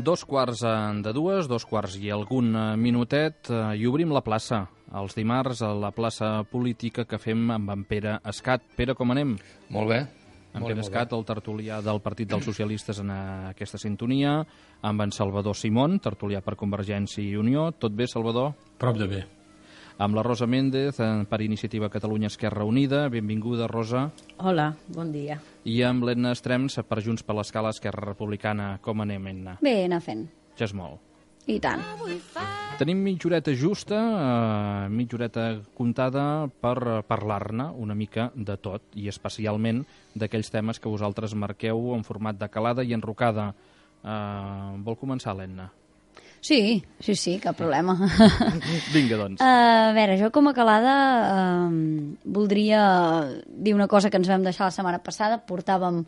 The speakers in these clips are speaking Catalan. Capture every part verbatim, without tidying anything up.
Dos quarts de dues, dos quarts i algun minutet, i obrim la plaça. Els dimarts a la plaça política que fem amb en Pere Escat. Pere, com anem? Molt bé. En Pere Escat, el tertulià del Partit dels Socialistes en aquesta sintonia, amb en Salvador Simón, tertulià per Convergència i Unió. Tot bé, Salvador? Prop de bé. Amb la Rosa Méndez, per Iniciativa Catalunya Esquerra Unida. Benvinguda, Rosa. Hola, bon dia. I amb l'Edna Estrems, per Junts per l'Escala Esquerra Republicana. Com anem, Edna? Bé, anar fent. Ja és molt. I tant. Tenim mitja horeta justa, eh, mitja horeta comptada per parlar-ne una mica de tot, i especialment d'aquells temes que vosaltres marqueu en format de calada i enrocada. Eh, vol començar, l'Edna? Sí, sí, sí, cap problema. Vinga, doncs. Uh, a veure, jo com a calada uh, voldria dir una cosa que ens vam deixar la setmana passada. Portàvem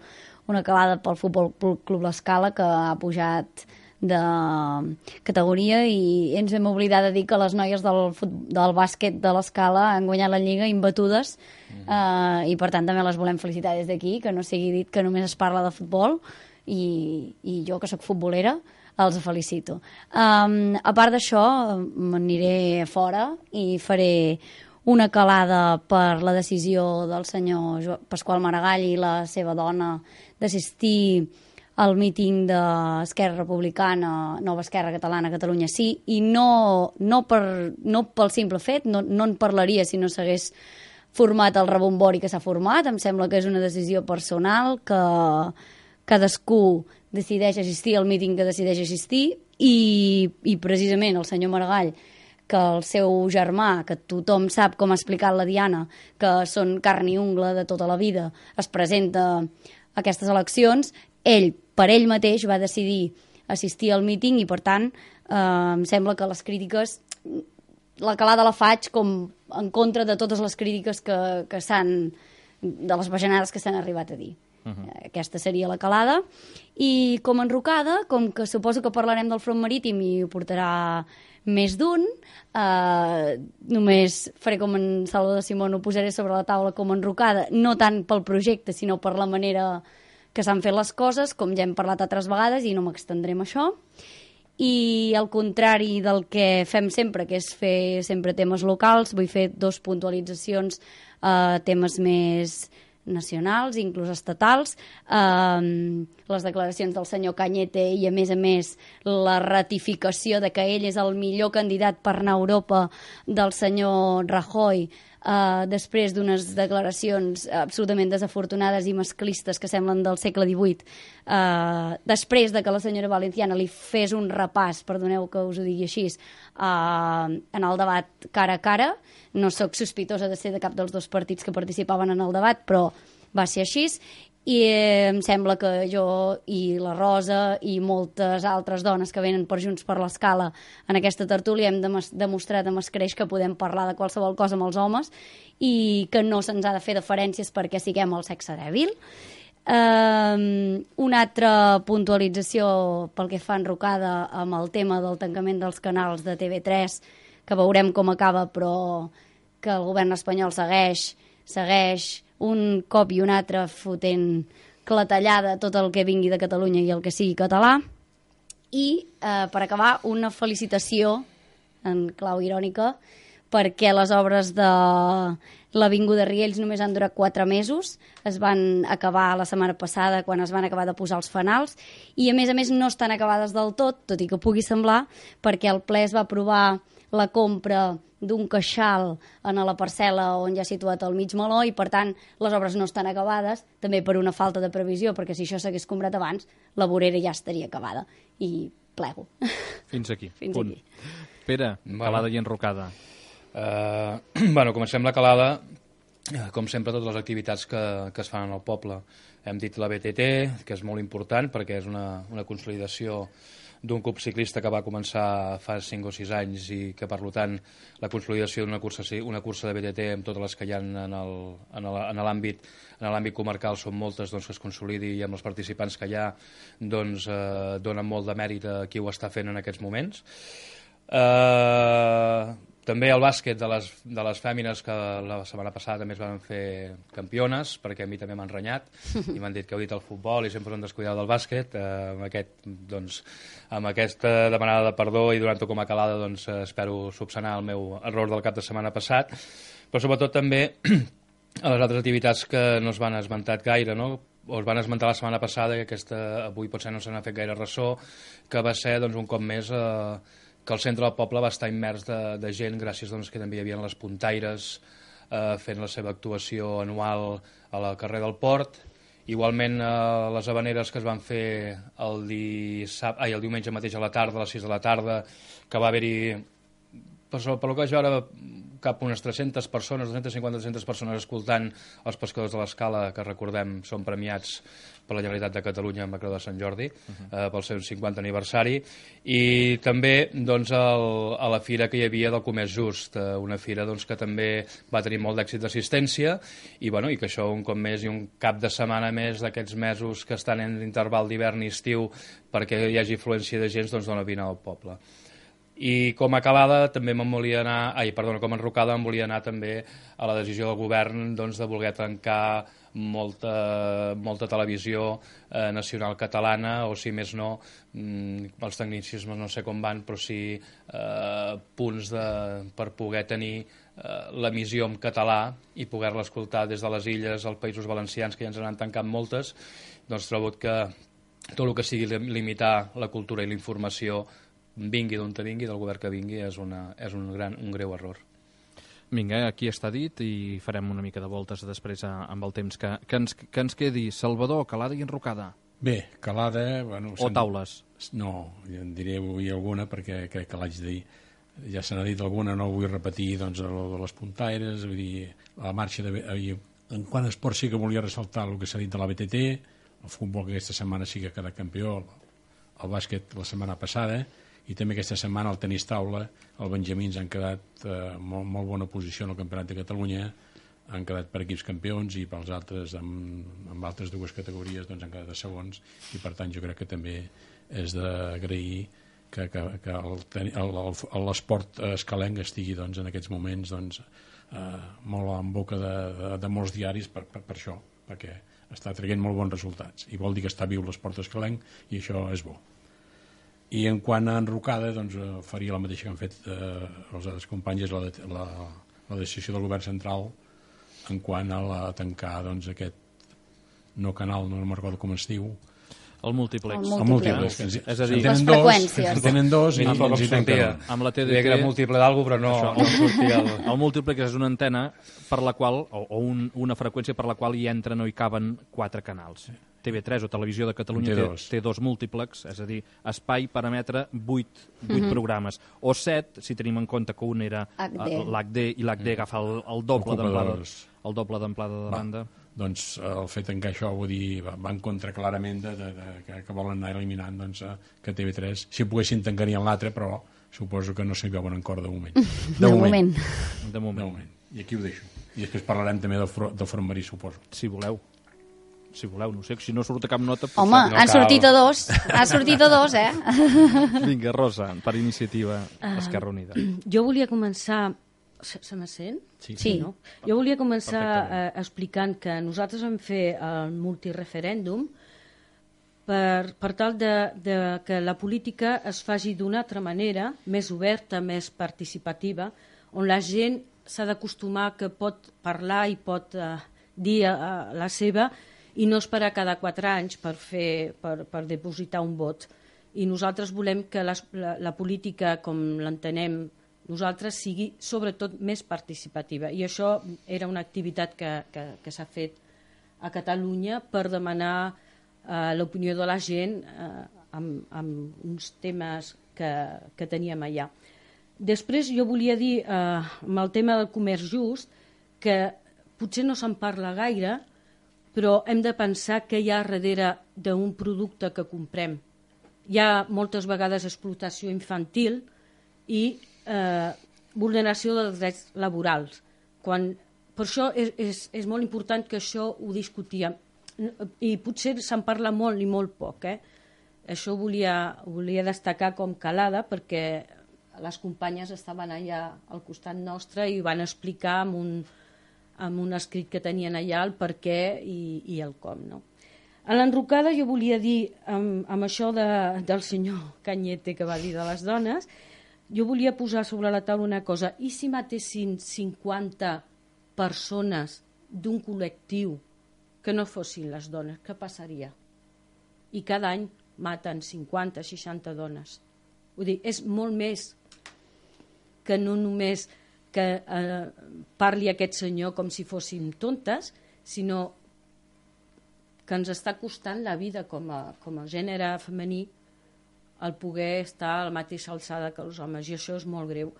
una calada pel Futbol Club L'Escala que ha pujat de categoria i ens hem oblidat de dir que les noies del, del bàsquet de l'Escala han guanyat la Lliga imbatudes mm. uh, i per tant també les volem felicitar des d'aquí, que no sigui dit que només es parla de futbol i, i jo que sóc futbolera els felicito. Um, a part d'això, m'aniré fora i faré una calada per la decisió del senyor Pasqual Maragall i la seva dona d'assistir al míting d'Esquerra Republicana, Nova Esquerra Catalana, Catalunya Sí, i no, no, per, no pel simple fet, no, no en parlaria si no s'hagués format el rebombori que s'ha format. Em sembla que és una decisió personal, que cadascú decideix assistir al míting que decideix assistir i, i precisament el senyor Maragall, que el seu germà, que tothom sap com ha explicat la Diana, que són carn i ungla de tota la vida, es presenta a aquestes eleccions, ell, per ell mateix, va decidir assistir al míting i, per tant, eh, em sembla que les crítiques, la calada la faig com en contra de totes les crítiques que, que s'han, de les bajanades que s'han arribat a dir. Uh-huh. Aquesta seria la calada. I com a enrocada, com que suposo que parlarem del front marítim i ho portarà més d'un, eh, només faré com en Salvador Simón, ho posaré sobre la taula com a enrocada, no tant pel projecte sinó per la manera que s'han fet les coses, com ja hem parlat altres vegades i no m'extendré en això. I al contrari del que fem sempre, que és fer sempre temes locals, vull fer dos puntualitzacions a eh, temes més nacionals, inclús estatals, eh, les declaracions del senyor Cañete i, a més a més, la ratificació de que ell és el millor candidat per anar a Europa del senyor Rajoy, eh, després d'unes declaracions absolutament desafortunades i masclistes que semblen del segle divuit, eh, després de que la senyora Valenciana li fes un repàs, perdoneu que us ho digui així, eh, en el debat cara a cara. No sóc sospitosa de ser de cap dels dos partits que participaven en el debat, però va ser així. I eh, em sembla que jo i la Rosa i moltes altres dones que venen per Junts per l'Escala en aquesta tertúlia hem demostrat amb escreix que podem parlar de qualsevol cosa amb els homes i que no se'ns ha de fer deferències perquè siguem el sexe dèbil. Um, una altra puntualització pel que fa enrocada amb el tema del tancament dels canals de T V tres, que veurem com acaba, però que el govern espanyol segueix, segueix un cop i un altre fotent clatellada tot el que vingui de Catalunya i el que sigui català. I, eh, per acabar, una felicitació, en clau irònica, perquè les obres de l'Avinguda Riells només han durat quatre mesos, es van acabar la setmana passada quan es van acabar de posar els fanals, i a més a més no estan acabades del tot, tot i que pugui semblar, perquè el ple es va aprovar la compra d'un queixal en la parcel·la on ja ha situat el mig meló i, per tant, les obres no estan acabades, també per una falta de previsió, perquè si això s'hagués comprat abans, la vorera ja estaria acabada. I plego. Fins aquí. Fins punt. aquí. Pere, calada i enrocada. Uh, bueno, comencem la calada, com sempre, totes les activitats que, que es fan al poble. Hem dit la B T T, que és molt important perquè és una, una consolidació d'un club ciclista que va començar fa cinc o sis anys i que, per tant, la consolidació d'una cursa, una cursa de B T T amb totes les que hi ha en l'àmbit en l'àmbit comarcal són moltes, doncs, que es consolidi i amb els participants que hi ha doncs, eh, donen molt de mèrit a qui ho està fent en aquests moments. Eh, També el bàsquet de les, de les fèmines, que la setmana passada també es van fer campiones, perquè a mi també m'han renyat i m'han dit que heu dit el futbol i sempre us han descuidat del bàsquet. Eh, amb, aquest, doncs, amb aquesta demanada de perdó i donant-ho com a calada, doncs, espero subsanar el meu error del cap de setmana passat, però sobretot també a les altres activitats que no es van esmentat gaire, no? O es van esmentar la setmana passada, que aquesta avui potser no se n'ha fet gaire ressò, que va ser, doncs, un cop més... Eh, que el centre del poble va estar immers de, de gent, gràcies doncs, que també hi havia les puntaires eh, fent la seva actuació anual a la carrer del Port. Igualment, eh, les habaneres que es van fer el, dissab... Ai, el diumenge mateix a la tarda, a les sis de la tarda, que va haver-hi, per, per lo que vaig veure, cap unes tres-centes persones, dues-centes cinquanta a tres-centes persones escoltant els pescadors de l'Escala, que recordem són premiats per la Generalitat de Catalunya amb la Creu de Sant Jordi, uh-huh. eh, pel seu cinquanta aniversari, i també doncs, el, a la fira que hi havia del Comerç Just, eh, una fira doncs, que també va tenir molt d'èxit d'assistència, i, bueno, i que això un cop més i un cap de setmana més d'aquests mesos que estan en l'interval d'hivern i estiu perquè hi hagi afluència de gent, doncs dona vina al poble. I com a calada també me'n volia anar, ai, perdona, com a enrocada em volia anar també a la decisió del govern doncs, de voler tancar molta, molta televisió eh, nacional catalana, o si més no, mm, els tecnicismes no sé com van, però sí eh, punts de, per poder tenir eh, l'emissió en català i poder-la escoltar des de les illes, als Països Valencians, que ja ens n'han tancat moltes, doncs trobo que tot el que sigui limitar la cultura i la informació, vingui d'on te vingui, del govern que vingui, és, una, és un, gran, un greu error. Vinga, aquí està dit i farem una mica de voltes després amb el temps que, que, ens, que ens quedi. Salvador, calada i enrocada. Bé, calada... Bueno, o taules. No, ja en diré avui alguna perquè crec que l'haig de dir. Ja se n'ha dit alguna, no vull repetir doncs, el de les puntaires, vull dir, la marxa de... En quant a esport sí que volia ressaltar el que s'ha dit de la B T T, el futbol que aquesta setmana sí que ha quedat campió, el bàsquet la setmana passada, i també aquesta setmana el tenis taula, els benjamins han quedat eh, molt, molt bona posició en el Campionat de Catalunya, han quedat per equips campions i pels altres, amb, amb altres dues categories, doncs han quedat de segons, i per tant jo crec que també és d'agrair que, que, que l'esport escalenc estigui doncs, en aquests moments doncs, eh, molt en boca de, de, de molts diaris per, per, per això, perquè està traient molt bons resultats i vol dir que està viu l'esport escalenc i això és bo. I en quant a enrocada, doncs, faria la mateixa que han fet eh, els, els companys, la, la, la decisió del govern central en quant a la, tancar doncs, aquest no canal, no me'n recordo com es diu, el múltiplex. El múltiplex. Ens, és a dir, les freqüències. En tenen dos i ens hi tanquen. Amb la T D T... que era múltiple d'algú, però no, no sortia el... El múltiplex és una antena per la qual, o, o un, una freqüència per la qual hi entren o hi caben quatre canals. T V tres o Televisió de Catalunya té, té dos múltiplex, és a dir, espai per emetre vuit, vuit mm-hmm. programes. O set, si tenim en compte que un era l'H D i l'H D agafa el, el doble d'amplada el doble d'amplada de banda. Doncs el fet en què això vull dir, va, va en contra clarament de, de, de, de, que volen anar eliminant doncs, que T V tres, si poguessin tancarien l'altre, però suposo que no s'hi veuen en cor de moment. De, de moment. moment. De moment. De moment. I aquí ho deixo. I després parlarem també del, del front marí, suposo. Si voleu. Si voleu, no sé, si no surt a cap nota... Home, no han sortit a dos, han sortit a dos, eh? Vinga, Rosa, per iniciativa uh, Esquerra Unida. Jo volia començar... Se, se me sent? Sí. sí. No? Jo volia començar uh, explicant que nosaltres vam fer el multireferèndum per, per tal de, de que la política es faci d'una altra manera, més oberta, més participativa, on la gent s'ha d'acostumar que pot parlar i pot uh, dir uh, la seva i no esperar cada quatre anys per, fer, per, per depositar un vot. I nosaltres volem que les, la, la política, com l'entenem nosaltres, sigui sobretot més participativa. I això era una activitat que, que, que s'ha fet a Catalunya per demanar eh, l'opinió de la gent eh, amb, amb uns temes que, que teníem allà. Després jo volia dir, eh, amb el tema del comerç just, que potser no se'n parla gaire, però hem de pensar què hi ha darrere d'un producte que comprem. Hi ha moltes vegades explotació infantil i eh, vulneració dels drets laborals. Quan, per això és, és, és molt important que això ho discutíem. I potser se'n parla molt i molt poc. Eh? Això volia, volia destacar com calada perquè les companyes estaven allà al costat nostre i van explicar amb un, amb un escrit que tenien allà el per què i, i el com, no? A l'enrocada jo volia dir, amb, amb això de, del senyor Cañete que va dir de les dones, jo volia posar sobre la taula una cosa. I si matessin cinquanta persones d'un col·lectiu que no fossin les dones, què passaria? I cada any maten cinquanta, seixanta dones. Vull dir, és molt més que no només que eh, parli aquest senyor com si fóssim tontes, sinó que ens està costant la vida com a, com a gènere femení el poder estar a la mateixa alçada que els homes, i això és molt greu,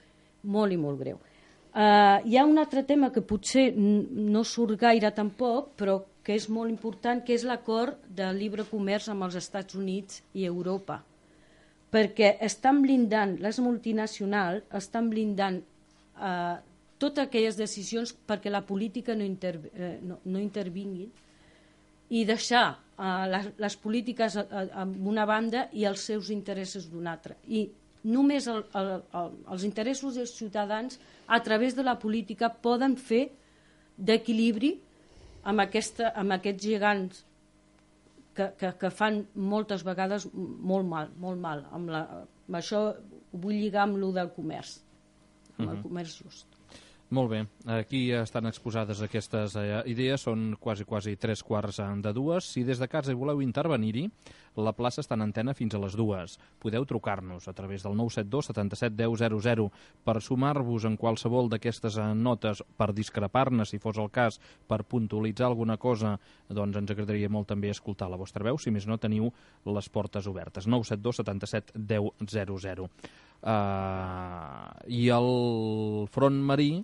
molt i molt greu. Uh, hi ha un altre tema que potser no surt gaire tampoc, però que és molt important, que és l'acord del lliure comerç amb els Estats Units i Europa, perquè estan blindant, les multinacionals estan blindant uh, totes aquelles decisions perquè la política no, inter, uh, no, no intervingui i deixar uh, les, les polítiques en una banda i els seus interessos d'una altra. I només el, el, el, els interessos dels ciutadans a través de la política poden fer d'equilibri amb, aquesta, amb aquests gegants que, que, que fan moltes vegades molt mal, molt mal. Amb, la, amb això ho vull lligar amb lo del comerç, amb uh-huh. el comerç just. Molt bé, aquí estan exposades aquestes eh, idees, són quasi quasi tres quarts de dues. Si des de casa hi voleu intervenir-hi, la plaça està en antena fins a les dues. Podeu trucar-nos a través del nou set dos setanta-set deu zero zero per sumar-vos en qualsevol d'aquestes notes, per discrepar-ne, si fos el cas, per puntualitzar alguna cosa, doncs ens agradaria molt també escoltar la vostra veu, si més no teniu les portes obertes. nou set dos setanta-set deu zero zero. Uh, I el front marí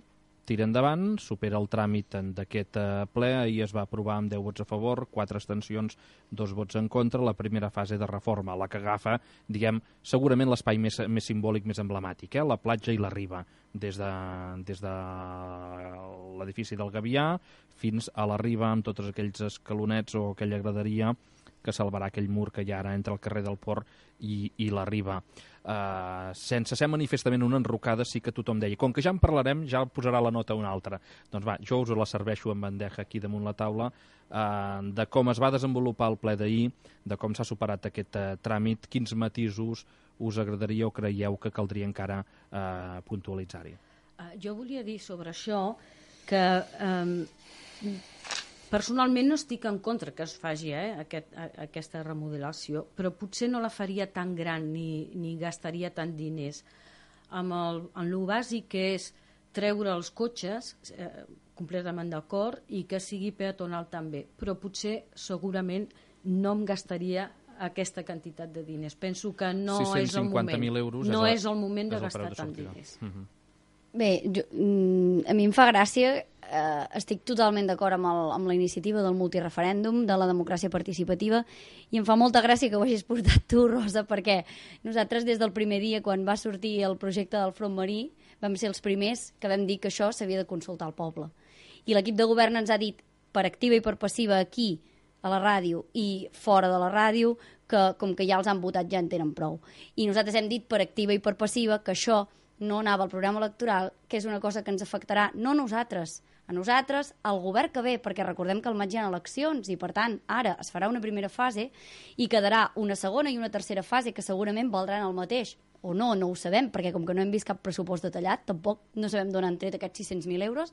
tira endavant, supera el tràmit d'aquest ple, ahir es va aprovar amb deu vots a favor, quatre abstencions, dos vots en contra, la primera fase de reforma, la que agafa, diguem, segurament l'espai més, més simbòlic, més emblemàtic, eh? La platja i la riba, des de, des de l'edifici del Gavià fins a la riba, amb tots aquells escalonets o aquella graderia que salvarà aquell mur que hi ha ara entre el carrer del Port i, i la riba. Uh, sense ser manifestament una enrocada, sí que tothom deia, com que ja en parlarem, ja posarà la nota una altra. Doncs va, jo us la serveixo en bandeja aquí damunt la taula, uh, de com es va desenvolupar el ple d'ahir, de com s'ha superat aquest uh, tràmit, quins matisos us agradaria o creieu que caldria encara uh, puntualitzar-hi. Uh, jo volia dir sobre això que um, personalment no estic en contra que es faci eh, aquest, a, aquesta remodelació, però potser no la faria tan gran ni, ni gastaria tant diners. Amb el, en lo bàsic que és treure els cotxes, eh, completament d'acord, i que sigui peatonal també, però potser segurament no em gastaria aquesta quantitat de diners. Penso que no és el moment. Euros no és, és el moment de de gastar de tant diners. Uh-huh. Bé, jo, a mi em fa gràcia, eh, estic totalment d'acord amb, el, amb la iniciativa del multireferèndum, de la democràcia participativa, i em fa molta gràcia que ho hagis portat tu, Rosa, perquè nosaltres des del primer dia, quan va sortir el projecte del front marí, vam ser els primers que vam dir que això s'havia de consultar al poble. I l'equip de govern ens ha dit, per activa i per passiva, aquí, a la ràdio i fora de la ràdio, que com que ja els han votat ja en tenen prou. I nosaltres hem dit per activa i per passiva que això no anava al programa electoral, que és una cosa que ens afectarà no a nosaltres, a nosaltres, al govern que ve, perquè recordem que al maig hi ha eleccions i, per tant, ara es farà una primera fase i quedarà una segona i una tercera fase que segurament valdran el mateix. O no, no ho sabem, perquè com que no hem vist cap pressupost detallat, tampoc no sabem d'on han tret aquests sis-cents mil euros,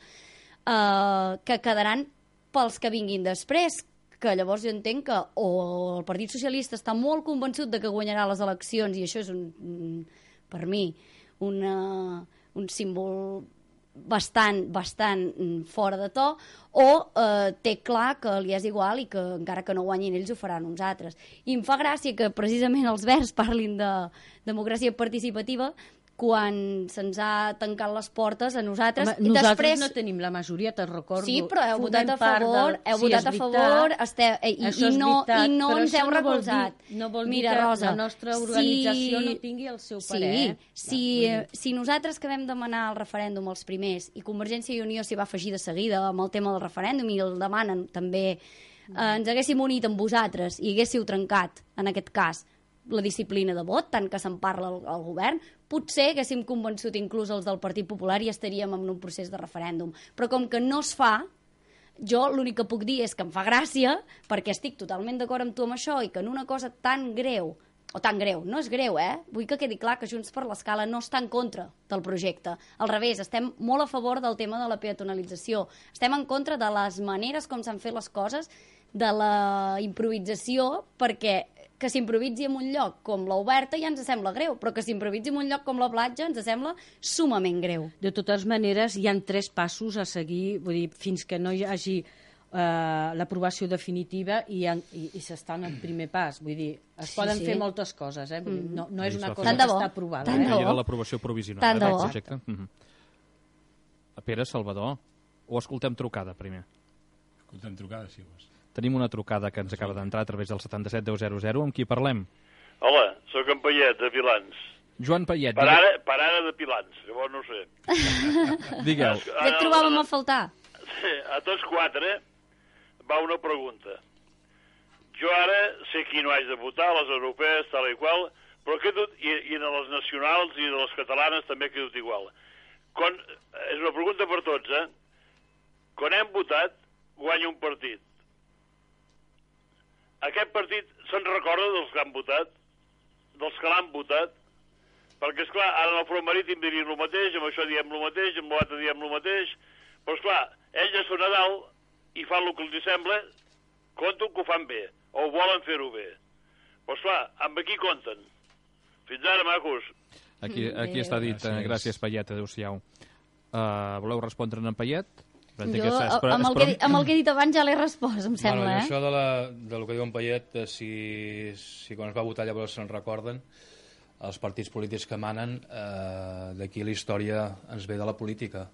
eh, que quedaran pels que vinguin després, que llavors jo entenc que o el Partit Socialista està molt convençut de que guanyarà les eleccions, i això és, un, per mi, Una, un símbol bastant, bastant fora de to, o eh, té clar que li és igual i que encara que no guanyin ells ho faran uns altres. I em fa gràcia que precisament els Verds parlin de democràcia participativa quan se'ns ha tancat les portes a nosaltres. Home, nosaltres després... no tenim la majoria, te'n recordo. Sí, però heu votat a favor, del... heu sí, votat a favor, esteu... i, i, no, veritat, i no ens heu recolzat. No vol dir, no vol Mira, dir que Rosa, la nostra organització si... no tingui el seu parer. Sí, eh? si, no, si nosaltres que vam demanar el referèndum els primers, i Convergència i Unió s'hi va afegir de seguida amb el tema del referèndum i el demanen també, eh, ens haguéssim unit amb vosaltres i haguéssiu trencat, en aquest cas, la disciplina de vot, tant que se'n parla al, al govern, potser haguéssim convençut inclús els del Partit Popular i estaríem en un procés de referèndum. Però com que no es fa, jo l'únic que puc dir és que em fa gràcia, perquè estic totalment d'acord amb tu amb això, i que en una cosa tan greu, o tan greu, no és greu, eh? Vull que quedi clar que Junts per l'Escala no està en contra del projecte. Al revés, estem molt a favor del tema de la peatonalització. Estem en contra de les maneres com s'han fet les coses, de la improvisació, perquè que s'improvisi en un lloc com l'Oberta ja ens sembla greu, però que s'improvisi en un lloc com la platja ens sembla sumament greu. De totes maneres, hi ha tres passos a seguir, vull dir, fins que no hi hagi Uh, l'aprovació definitiva i, i, i s'està en el primer pas, vull dir, es sí, poden sí. fer moltes coses, eh? Vull dir, no, no és una cosa tant que bo, està aprovada. tant Eh? Que hi ha l'aprovació provisional tant del de bo. projecte. Uh -huh. Pere, Salvador, o escoltem trucada primer? Escoltem trucada, si vols. Tenim una trucada que ens acaba d'entrar a través del setanta-set deu zero zero. Amb qui parlem? Hola, sóc en Payet, de Pilans. Joan Payet. Per ara, per ara de Pilans, llavors no ho sé. Digueu. Què et trobàvem a faltar? Sí, a tots quatre va una pregunta. Jo ara sé qui no haig de votar, les europees, tal i qual, però que tot, i, i en les nacionals i de les catalanes també que tot igual. Quan, és una pregunta per tots, eh? Quan hem votat, guanya un partit. Aquest partit se'n recorda dels que han votat? Dels que l'han votat? Perquè, esclar, ara en el front marítim dirien el mateix, amb això diem el mateix, amb l'altre diem el mateix, però, esclar, ells ja són a dalt i fan el que els sembla, compten que ho fan bé, o volen fer-ho bé. Però, esclar, amb aquí compten. Fins ara, macos. Aquí, aquí està dit. Gràcies. Gràcies, Payet, adéu-siau. Uh, voleu respondre en Payet? Jo, amb el, que, amb el que he dit abans ja l'he respost, em sembla, bueno, eh? Això de, la, de lo que diu en Payet, eh, si, si quan es va votar llavors se'n recorden, els partits polítics que manen, eh, d'aquí la història ens ve de la política.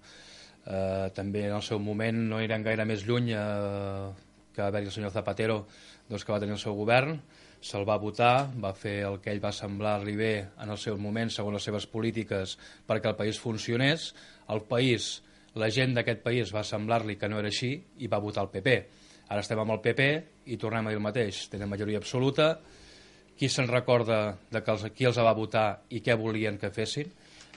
Eh, també en el seu moment no eren gaire més lluny eh, que va haver-hi el senyor Zapatero, doncs, que va tenir el seu govern, se'l va votar, va fer el que ell va semblar-li bé en el seu moment, segons les seves polítiques, perquè el país funcionés. El país, la gent d'aquest país va semblar-li que no era així i va votar el P P. Ara estem amb el P P i tornem a dir el mateix. Tenen majoria absoluta. Qui se'n recorda de que els, qui els va votar i què volien que fessin?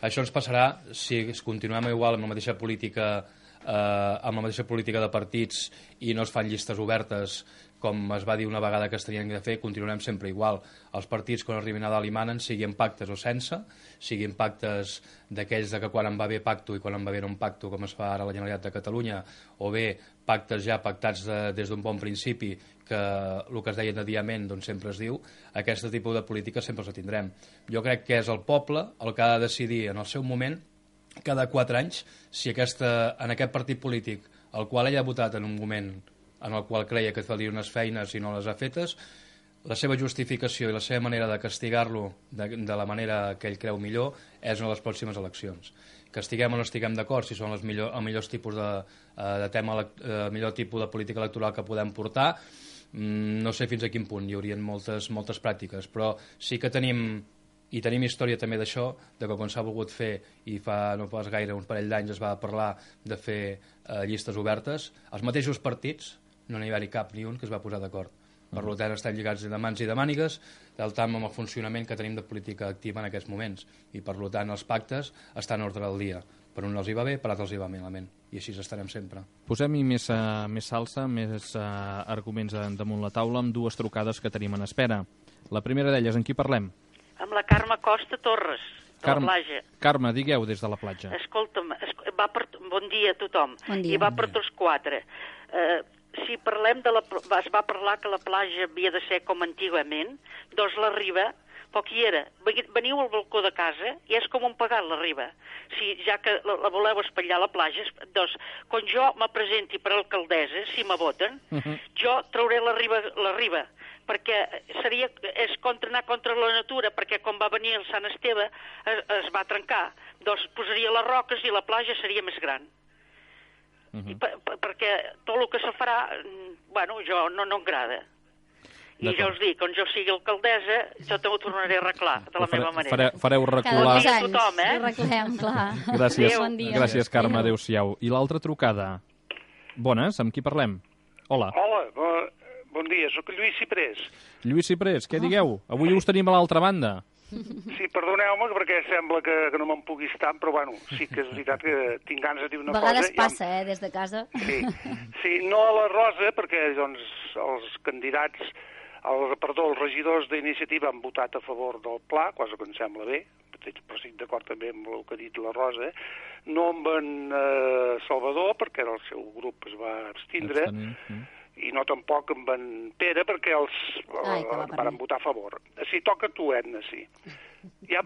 Això ens passarà si continuem igual amb la mateixa política eh, amb la mateixa política de partits i no es fan llistes obertes com es va dir una vegada que es tenien de fer, continuarem sempre igual. Els partits, quan arribin a dalt i manen, siguin pactes o sense, siguin pactes d'aquells de que quan en va bé pacto i quan en va bé no un pacto, com es fa ara a la Generalitat de Catalunya, o bé pactes ja pactats de, des d'un bon principi, que el que es deia de diament doncs sempre es diu, aquest tipus de política sempre els tindrem. Jo crec que és el poble el que ha de decidir en el seu moment, cada quatre anys, si aquesta, en aquest partit polític, el qual ell ha votat en un moment en el qual creia que faria unes feines i no les ha fetes, la seva justificació i la seva manera de castigar-lo de, de la manera que ell creu millor és en les pròximes eleccions. Que estiguem o no estiguem d'acord si són els millor, els millors tipus de, de tema, el millor tipus de política electoral que podem portar, no sé fins a quin punt hi haurien moltes, moltes pràctiques, però sí que tenim i tenim història també d'això, de que quan s'ha volgut fer, i fa no pas gaire, un parell d'anys es va parlar de fer eh, llistes obertes, els mateixos partits no n'hi va haver cap ni un que es va posar d'acord. Per uh-huh. tant, estan lligats de mans i de mànigues, del tant amb el funcionament que tenim de política activa en aquests moments. I per tant, els pactes estan en ordre del dia. Per un els hi va bé, per altres els hi va malament. I així estarem sempre. Posem-hi més, uh, més salsa, més uh, arguments damunt la taula, amb dues trucades que tenim en espera. La primera d'elles, en qui parlem? Amb la Carme Costa Torres, de Carme, la platja. Carme, digueu des de la platja. Escolta'm, es, va per, bon dia a tothom. Bon dia. I va per tots quatre. Eh, si parlem de la... Es va parlar que la platja havia de ser com antigament, doncs la riba, poc hi era. Veniu al balcó de casa i és com un pagat la riba. Si ja que la, la voleu espatllar a la platja, doncs quan jo me presenti per alcaldessa, si me voten, uh -huh. jo trauré la riba, la riba perquè seria, és contra, anar contra la natura, perquè quan va venir el Sant Esteve es, es va trencar, doncs posaria les roques i la platja seria més gran. Uh -huh. I per, per, perquè tot el que se farà, bueno, jo no, no m'agrada. I ja us dic, quan jo sigui alcaldessa, jo també ho tornaré a arreglar, de la Fare, meva manera. Fare, fareu recular... Cada dos Bon dia a anys tothom, eh? ho arreglem, clar. Gràcies, Adéu. Bon dia. gràcies Carme, adéu-siau. I l'altra trucada. Bones, amb qui parlem? Hola. Hola, bo, bon dia, sóc Lluís Ciprés. Lluís Ciprés, què digueu? Avui us tenim a l'altra banda. Sí, perdoneu-me, perquè sembla que, que no me'n pugui estar, però bueno, sí que és veritat que tinc ganes de dir una cosa. A vegades cosa, passa, ja... eh, des de casa. Sí, sí, no a la Rosa, perquè doncs, els candidats, el, perdó, els regidors d'iniciativa han votat a favor del pla, cosa que em sembla bé, però estic d'acord també amb el que ha dit la Rosa, no amb en eh, Salvador, perquè el seu grup es va abstindre, mm. i no tampoc amb en Pere, perquè els Ai, eh, van votar a favor. Si toca tu, Edna, sí. Ja,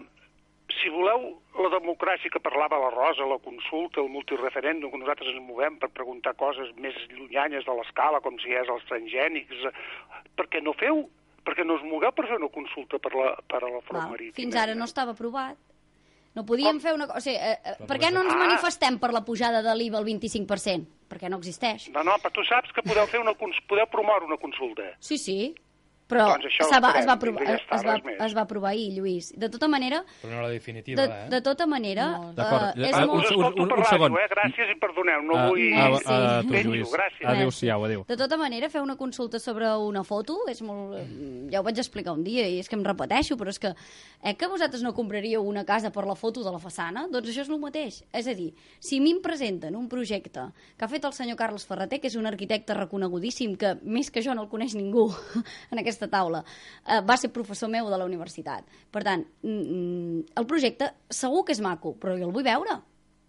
si voleu, la democràcia que parlava la Rosa, la consulta, el multireferèndum, que nosaltres ens movem per preguntar coses més llunyanyes de l'escala, com si és els transgènics, per què no feu? Perquè no us mogueu per fer una consulta per la, per a la front marítima. Fins ara no estava aprovat. No podíem Com? fer una cosa... O sigui, eh, per què no ens ah. manifestem per la pujada de l'I V A al vint-i-cinc per cent? Perquè no existeix. No, no, però tu saps que podeu fer una podeu promoure una consulta. Sí, sí. Però doncs es, va, es, va aprovar, ja està, es, va, es va aprovar ahir, Lluís. De tota manera... Però no la definitiva, de, eh? De tota manera... No. D'acord. Uh, és uh, molt... un, un, un, un segon. Eh? Gràcies i perdoneu, no uh, vull... Uh, uh, uh, tu, Lluís. Gràcies. Adéu-siau, adéu. De tota manera, fer una consulta sobre una foto és molt... Ja ho vaig explicar un dia i és que em repeteixo, però és que... Eh, que vosaltres no compraríeu una casa per la foto de la façana? Doncs això és el mateix. És a dir, si a mi em presenten un projecte que ha fet el senyor Carles Ferreter, que és un arquitecte reconegudíssim, que més que jo no el coneix ningú en aquesta taula, Uh, va ser professor meu de la universitat. Per tant, mm, el projecte segur que és maco, però jo el vull veure.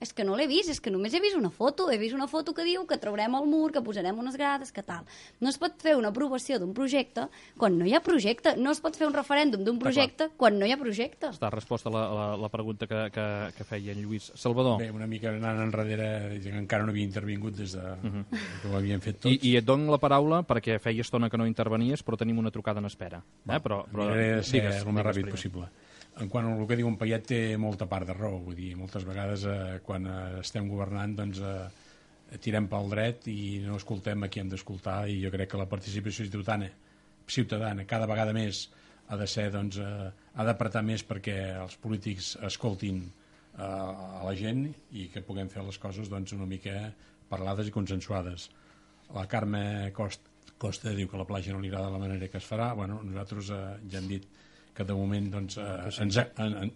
És que no l'he vist, és que només he vist una foto. He vist una foto que diu que traurem el mur, que posarem unes grades, que tal. No es pot fer una aprovació d'un projecte quan no hi ha projecte. No es pot fer un referèndum d'un projecte quan no hi ha projecte. Està resposta a la, la, la pregunta que, que, que feia en Lluís. Salvador. Bé, una mica anant enrere, que encara no havia intervingut des de uh -huh. que ho havien fet tots. I, I et dono la paraula perquè feia estona que no intervenies, però tenim una trucada en espera. Eh? Però, però, miraré de ser digues, el més ràpid primer. possible. En quant al que diu en Payet té molta part de raó, vull dir, moltes vegades eh, quan eh, estem governant doncs eh, tirem pel dret i no escoltem a qui hem d'escoltar, i jo crec que la participació ciutadana, ciutadana cada vegada més ha de ser, doncs, eh, ha d'apretar més perquè els polítics escoltin eh, a la gent i que puguem fer les coses doncs una mica parlades i consensuades. La Carme Costa, Costa diu que la platja no li agrada la manera que es farà. Bueno, nosaltres eh, ja hem dit que de moment doncs, eh, ens, en, en,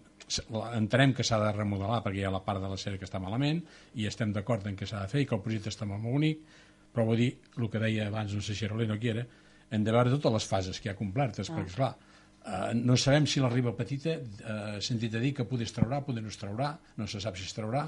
entenem que s'ha de remodelar perquè hi ha la part de la sèrie que està malament i estem d'acord en què s'ha de fer i que el projecte està molt bonic, però vull dir, el que deia abans, no sé si Rolé no quiere, hem de veure totes les fases que hi ha complertes, ah. perquè, esclar, eh, no sabem si la riba petita, eh, sentit a dir que poder es traurà, poder no es traurà, no se sap si es traurà.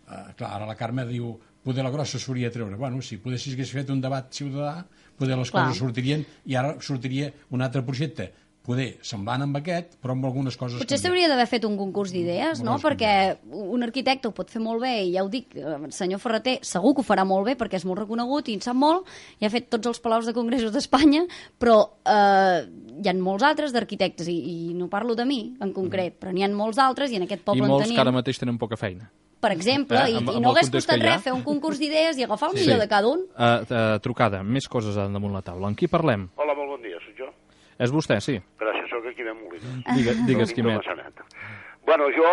Eh, clar, ara la Carme diu poder la grossa s'hauria de treure. Bueno, si poder si hagués fet un debat ciutadà, poder les clar. coses sortirien i ara sortiria un altre projecte poder semblant amb aquest, però amb algunes coses... Potser s'hauria d'haver fet un concurs d'idees, no? Perquè un arquitecte ho pot fer molt bé, i ja ho dic, el senyor Ferreter segur que ho farà molt bé perquè és molt reconegut i en sap molt, i ha fet tots els palaus de congressos d'Espanya, però eh, hi ha molts altres d'arquitectes, i, i no parlo de mi en concret, però n'hi ha molts altres, i en aquest poble I molts en tenim... que ara mateix tenen poca feina. Per exemple, eh, amb, i, i no hagués costat res fer un concurs d'idees i agafar el sí. millor de cada un. Uh, uh, trucada, més coses damunt la taula. Amb qui parlem? Hola, molt bon dia, soc jo. És vostè, sí. Gràcies, soc aquí de Molina. Digue, digues, Quimet. Bueno, jo,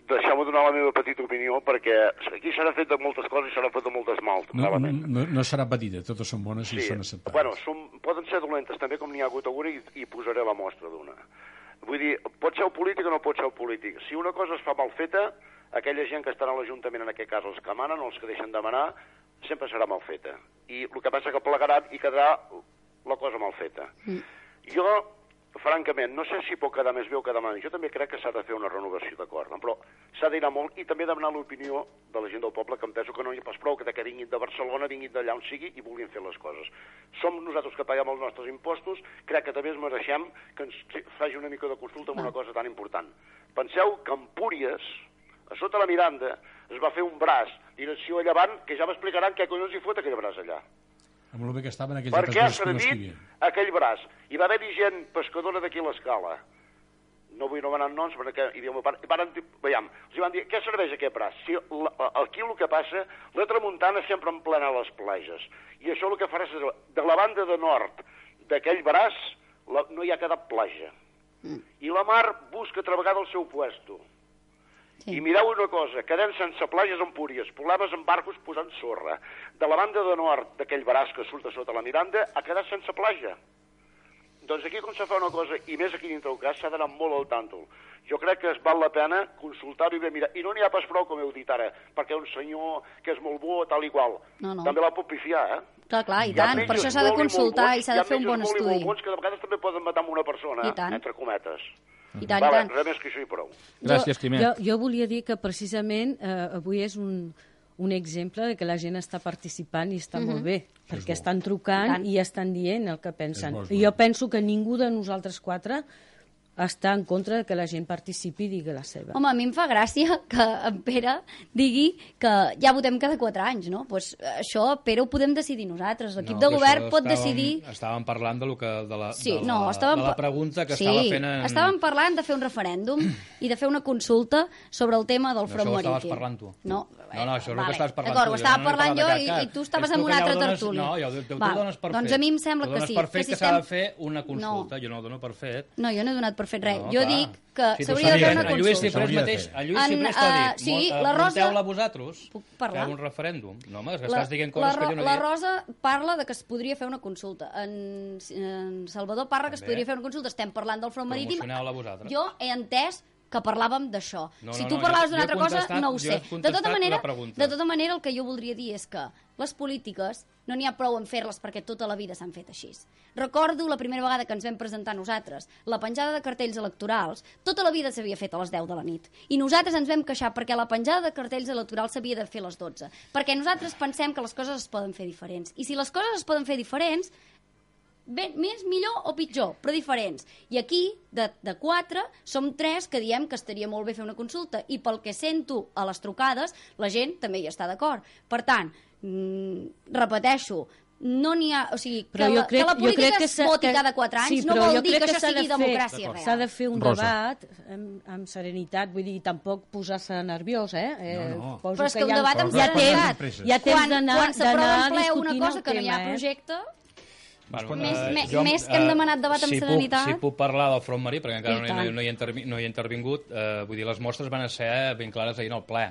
deixeu-me donar la meva petita opinió, perquè aquí s'ha fet de moltes coses i s'ha fet de moltes mals. No, no, no, no serà petita, totes són bones i sí. són acceptades. Bueno, són, poden ser dolentes també, com n'hi ha hagut avui, i, i posaré la mostra d'una. Vull dir, pot ser polític o no pot ser polític. Si una cosa es fa mal feta, aquella gent que estarà a l'Ajuntament, en aquest cas els que manen o els que deixen de manar, sempre serà mal feta. I el que passa que plegaran i quedarà la cosa mal feta. Mm. Jo, francament, no sé si pot quedar més bé o quedar mal. Jo també crec que s'ha de fer una renovació d'acord, no? Però s'ha d'anar molt i també demanar l'opinió de la gent del poble, que em penso que no hi ha pas prou que, que vinguin de Barcelona, vinguin d'allà on sigui i vulguin fer les coses. Som nosaltres que paguem els nostres impostos, crec que també es mereixem que ens faci una mica de consulta amb una cosa tan important. Penseu que a Empúries, a sota la Miranda, es va fer un braç, direcció a llevant, que ja m'explicaran què collons hi fot aquell braç allà. Amb el bé que estaven aquells per què ha servit no aquell braç? Hi va haver-hi gent pescadora d'aquí a l'Escala. No vull anomenar noms, perquè hi havia... Van, veiem, els van dir, què serveix aquest braç? Si la, aquí el que passa, la tramuntana sempre en plena les platges. I això el que farà és, de la banda de nord d'aquell braç, la, no hi ha quedat platja. Mm. I la mar busca altra vegada el seu puesto. Sí. I mireu una cosa, quedem sense platges a Empúries, problemes amb barcos posant sorra. De la banda de nord d'aquell braç que surt a sota la Miranda, ha quedat sense platja. Doncs aquí, com se fa una cosa, i més aquí dintre del cas, s'ha d'anar molt al tàntol. Jo crec que es val la pena consultar-ho i bé mirar. I no n'hi ha pas prou, com heu dit ara, perquè un senyor que és molt bo, tal i qual. No, no. També la pot pifiar, eh? Clar, clar, i tant. Per això s'ha de consultar i s'ha de fer un bon estudi. Hi ha metges molt i molt bons que de vegades també poden matar amb una persona, entre cometes. I tant, vale, i tant. Res més que això i prou. Gràcies, Quimet. Jo, jo volia dir que precisament eh, avui és un, un exemple de que la gent està participant i està mm-hmm. molt bé, perquè estan trucant i estan dient el que pensen. I jo penso que ningú de nosaltres quatre està en contra de que la gent participi i digui la seva. Home, a mi em fa gràcia que en Pere digui que ja votem cada quatre anys, no? Pues això, Pere, ho podem decidir nosaltres. L'equip no, de govern pot estàvem, decidir... Estàvem parlant de, lo que, de, la, sí, de, no, la, estàvem... de la pregunta que sí, estava fent... En... estàvem parlant de fer un referèndum i de fer una consulta sobre el tema del front marítim. Això ho estaves parlant tu. No, no, no, això és vale. el que estaves parlant tu. D'acord, ho estava no parlant jo i, i tu estaves en una altra dones, tertúlia. No, jo, tu, tu Val. dones per fet. Doncs a mi em sembla que sí. Tu dones per fet que, que s'ha de fer una consulta. No. Jo no ho dono per fet. No, jo no he donat per fet res. No, jo clar. dic que si s'hauria de fer una consulta. En Lluís Ciprés mateix, en Lluís Ciprés t'ha dit, uh, sí, la Rosa... munteu-la vosaltres, feu un referèndum. No, home, és que estàs dient coses que jo no dic. La Rosa parla de que es podria fer una consulta. En, en Salvador parla que es podria fer una consulta. Estem parlant del front marítim. Promocioneu-la vosaltres. Jo he entès que parlàvem d'això. No, si no, tu no, parlaves jo, d'una jo altra cosa, no ho sé. De tota, manera, de tota manera, el que jo voldria dir és que les polítiques no n'hi ha prou en fer-les perquè tota la vida s'han fet així. Recordo la primera vegada que ens vam presentar nosaltres, la penjada de cartells electorals, tota la vida s'havia fet a les deu de la nit. I nosaltres ens vam queixar perquè la penjada de cartells electorals s'havia de fer a les dotze. Perquè nosaltres pensem que les coses es poden fer diferents. I si les coses es poden fer diferents, bé, més, millor o pitjor, però diferents. I aquí, de, de quatre, som tres que diem que estaria molt bé fer una consulta i pel que sento a les trucades, la gent també hi està d'acord. Per tant, mmm, repeteixo, no n'hi ha... O sigui, que, la, crec, que la política que es voti que, cada quatre anys sí, no vol dir que, que això sigui de democràcia real. S'ha de fer un Rosa. debat amb, amb serenitat, vull dir, tampoc posar-se nerviós, eh? No, no. Poso però és que, que un debat amb ja serenitat. Ja tens d'anar quan s'aprova en ple una cosa tema, que no hi ha eh? projecte... Bueno, més, uh, més, jo, més que hem demanat debat amb si serenitat... Puc, si puc parlar del front marí, perquè encara no, no, no, hi he intervi, no hi he intervingut, uh, vull dir, les mostres van ser ben clares ahir en el ple.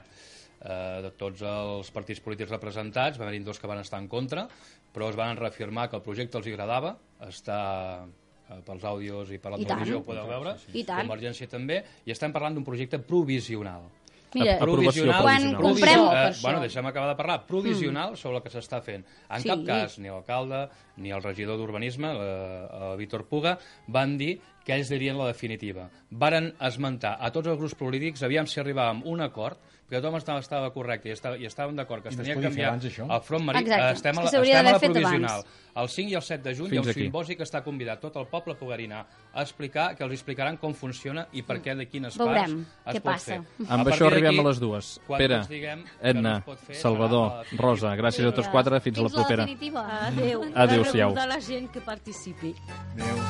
Uh, de tots els partits polítics representats, va haver-hi dos que van estar en contra, però es van reafirmar que el projecte els agradava, està uh, pels àudios i per la I televisió, tant. Ho podeu veure, I tant. Convergència també, i estem parlant d'un projecte provisional. Mira, provisional, quan comprem... Eh, bueno, deixem acabar de parlar. Provisional mm. sobre el que s'està fent. En sí. cap cas, ni l'alcalde ni el regidor d'Urbanisme, el Víctor Puga, van dir que ells dirien la definitiva. Varen esmentar a tots els grups polítics, aviam si arribàvem a un acord, perquè tothom estava, estava correcte i, estava, i estàvem d'acord que es tenia que canviar el front marí. Estem a la, estem a la provisional. El cinc i el set de juny el simbosi que està convidat tot el poble a poder anar a explicar, que els explicaran com funciona i per què de quines Veurem parts es què pot passa. fer. Amb això arribem a les dues. Pere, Edna, Salvador, Rosa, gràcies a tots quatre, fins, fins a la propera. Adéu. Adéu-siau. De la gent que participi. Adéu.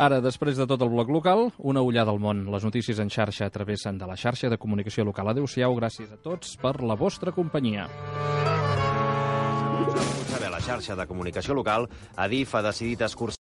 Ara, després de tot el bloc local, una ullada al món. Les notícies en xarxa travessen de la xarxa de comunicació local. Adéu-siau, gràcies a tots per la vostra companyia. A la xarxa de comunicació local, Adif ha decidit escurçar